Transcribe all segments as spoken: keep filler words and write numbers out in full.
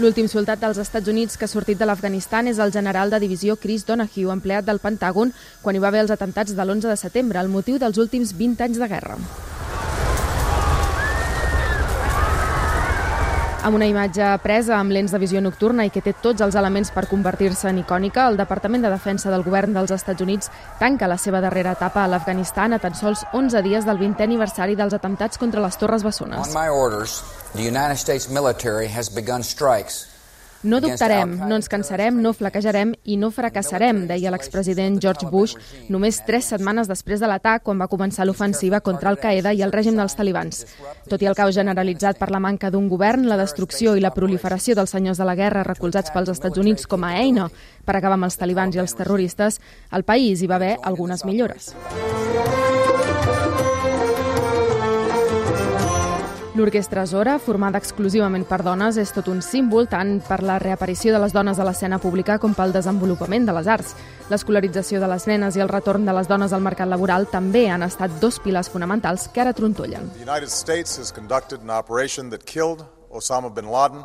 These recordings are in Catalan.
L'últim soldat dels Estats Units que ha sortit de l'Afganistan és el general de divisió Chris Donahue, empleat del Pentàgon quan hi va haver els atemptats de l'onze de setembre, el motiu dels últims vint anys de guerra. Amb una imatge presa amb lents de visió nocturna i que té tots els elements per convertir-se en icònica, el Departament de Defensa del Govern dels Estats Units tanca la seva darrera etapa a l'Afganistan a tan sols onze dies del vintè aniversari dels atemptats contra les Torres Bessones. On my orders, the United States military has begun strikes. No dubtarem, no ens cansarem, no flaquejarem i no fracassarem, deia l'expresident George Bush només tres setmanes després de l'atac, quan va començar l'ofensiva contra Al-Qaeda i el règim dels talibans. Tot i el caos generalitzat per la manca d'un govern, la destrucció i la proliferació dels senyors de la guerra recolzats pels Estats Units com a eina per acabar amb els talibans i els terroristes, al país hi va haver algunes millores. L'Orquestra Zora, formada exclusivament per dones, és tot un símbol tant per la reaparició de les dones a l'escena pública com pel desenvolupament de les arts. L'escolarització de les nenes i el retorn de les dones al mercat laboral també han estat dos pilars fonamentals que ara trontollen. The United States has conducted an operation that killed Osama bin Laden,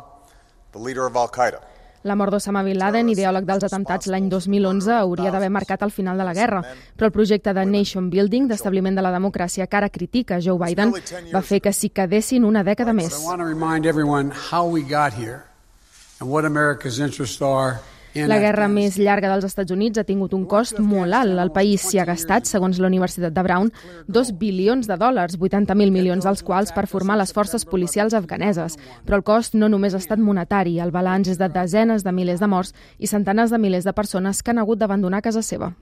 the leader of Al-Qaeda. La mort d'Osama bin Laden, ideòleg dels atemptats l'any dos mil onze, hauria d'haver marcat el final de la guerra, però el projecte de Nation Building, d'establiment de la democràcia que ara critica Joe Biden, va fer que s'hi quedessin una dècada més. La guerra més llarga dels Estats Units ha tingut un cost molt alt. El país s'hi ha gastat, segons la Universitat de Brown, dos bilions de dòlars, vuitanta mil milions dels quals per formar les forces policials afganeses. Però el cost no només ha estat monetari. El balanç és de desenes de milers de morts i centenars de milers de persones que han hagut d'abandonar casa seva.